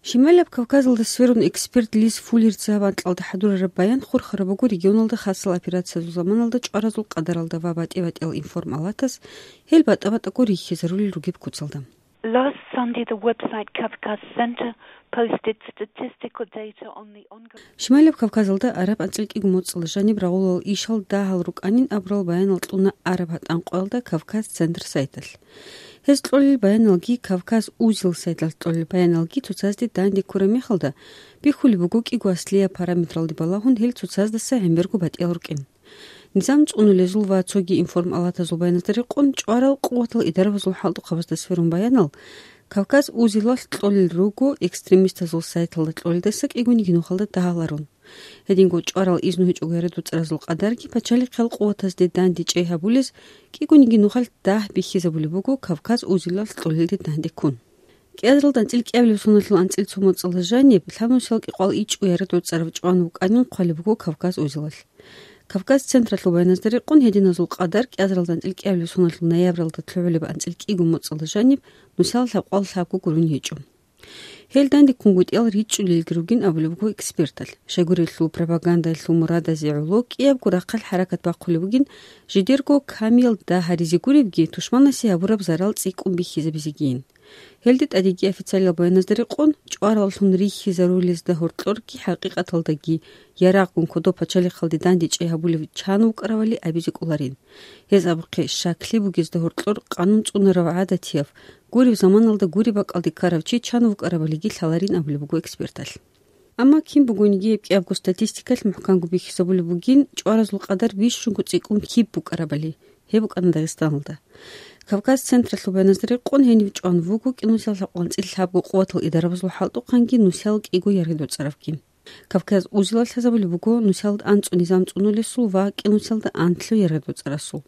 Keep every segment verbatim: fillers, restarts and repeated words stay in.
Шималаб Кавказалда сверун эксперт Лиз Фуллерца гьаб анкьалда хӀадурараб баян хурхараб буго регионалда хасал операциязул заманалда чӀваразул къадаралда ва батӀи-батӀиял информалатаз, гьел батӀа-батӀаго рихьизарулел ругеб куцалда. Last Sunday, the website Kavkaz Center posted statistical data on the ongoing Шималаб Кавказалда араб анцӀил кӀиго моцӀалда жаниб рагъулал ишал дагьал рукӀанин абурал баянал кьуна араб гьатӀан къоялда Кавказ Центр сайталъ. Гьез кьолел баяналги, Кавказ Узел сайталъ кьолел баяналги цоцазде данде ккураб мехалда, бихьулеб буго кӀиго аслияб параметралде балагьун гьел цоцаздаса гӀемерго батӀиял рукӀин. Низам цӀунулезул ва цоги информалатазул баяназда рекъон чӀварал къуватал идарабазул хӀалтӀухъабазда сверун баянал, Кавказ Узелалъ кьолел руго экстремистазул сайталда кьолелдаса кӀигониги нухалда дагьаларун. Гьединго чӀварал изну гьечӀого ярадуцӀаразул къадарги пачалихъал къуватазде дандечӀей гьабулез кӀигониги нухалъ дагь бихьизабулеб буго Кавказ Узелалъ кьолелде дандеккун. КӀиазаралда анцӀил кӀиабилеб соналъул анцӀил цо моцӀалда жаниб лъабнусиял кӀикъоялда ичӀго ярадуцӀарав чӀван вукӀанин хъвалеб буго Кавказ Узелалъ. Кавказ Централъул баяназда рекъон гьединазул къадар кӀиазаралда анцӀил кӀиабилеб соналъул ноябралда лъугӀулеб анцӀил кӀиго моцӀалда жаниб нусал лъабкъоялда лъабго гурун гьечӀо. Гьел дандеккунгутӀиялда ричӀчӀулелги ругин абулеб буго эксперталъ. Щайгурелъул пропагандалъул мурадазе гӀоло кӀиябго рахъалъ хӀаракат бахъулеб бугин, жидерго камиял дагь гьаризе гуребги, тушманасе гьабураб зарал цӀикӀкӀун бихьизабизегийин. Гьелде тӀадеги официалиял баяназда рекъон, чӀвараллъун рихьизарулезда гьоркьорги хӀакъикъаталдаги ярагъгун кодоб пачалихъалде дандечӀей гьабулев чан вукӀаравали абизе кӀоларин. Гьез абухъе щаклъи бугезда гьоркьор къанун цӀунарав гӀадатияв, гуреб заманалда гуреб бакӀалде ккарав чи чан вукӀаравалиги лъаларин абулеб буго эксперталъ. Амма кин бугониги гьеб кӀиябго статистикалъ мухӀканго бихьизабулеб бугин, чӀваразул къадар бищунго цӀикӀкӀун киб букӀарабали. Гьеб букӀана Дагъистаналда. Кавказ Централъул баяназда рекъон гьенив чӀван вуго кӀинусиялда лъабкъоялда анцӀил лъабго къуватал идарабазул хӀалтӀухъанги нусиялда кӀиго яргъи доцӀаравги. Кавказ Узелалъ лъазабулеб буго нусиялда анцӀго низам цӀунулесул ва кӀинусиялда анлъго яргъи доцӀарасул.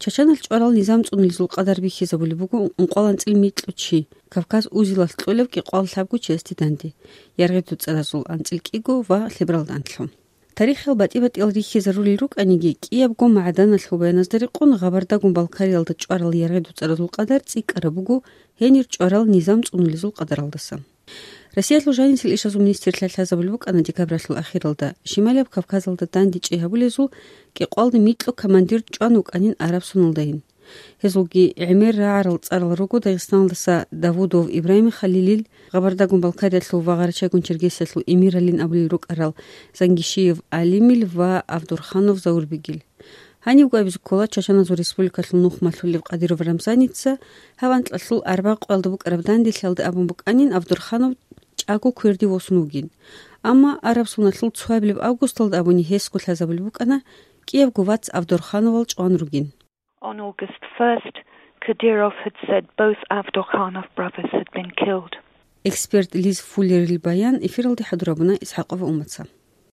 Чачаналъ чӀварал низам цӀунулезул къадар бихьизабулеб буго ункъоялда анцӀил микьго чи, Кавказ Узелалъ кьолев кӀикъоялда лъабго чиясде данде, яргъи доцӀаразул анцӀил кӀиго ва лъебералда анлъго. Тарихиял батӀи-батӀиял рихьизарулел рукӀаниги, кӀиябго магӀаданалъул баяназда рекъон Гъабардагун Балкариялда чӀварал яргъи доцӀаразул къадар цӀикӀкӀараб буго гьенир чӀварал низам цӀунулезул къадаралдаса. Россиялъул жанисел ишазул министрлъи лъазабулеб букӀана декабралъул ахиралда, Шималияб Кавказалда дандечӀей гьабулезул кӀикъоялда микьго командир чӀван вукӀанин араб соналдайин. Гьезулги гӀемер рагӀарал цӀарал руго Дагъистаналдаса Давудов Ибрагьим Халилил, Гъабардагун Балкариялъул ва Гъарачагун Чергесиялъул эмиралин абулел рукӀарал Зангишиев Алимил ва Авдурханов Заурбегил. Гьанибго абизе ккола, Чачаназул Республикалъул нух малъулев Къадиров Рамзаница гьав анкьалъул арбагъ къоялда букӀараб данделъиялда абун букӀанин, Авдурханов чӀаго кверде восун вугин. Амма араб соналъул цоабилеб августалда абуни гьесго лъазабулеб букӀана, кӀиябго вац Авдурхановал чӀван ругин. On August first, Kadyrov had said both Avdurkhanov brothers had been killed. Эксперт Лиз Фуллерил баян эфиралде хӀадурабуна ИсхӀакъова Умаца.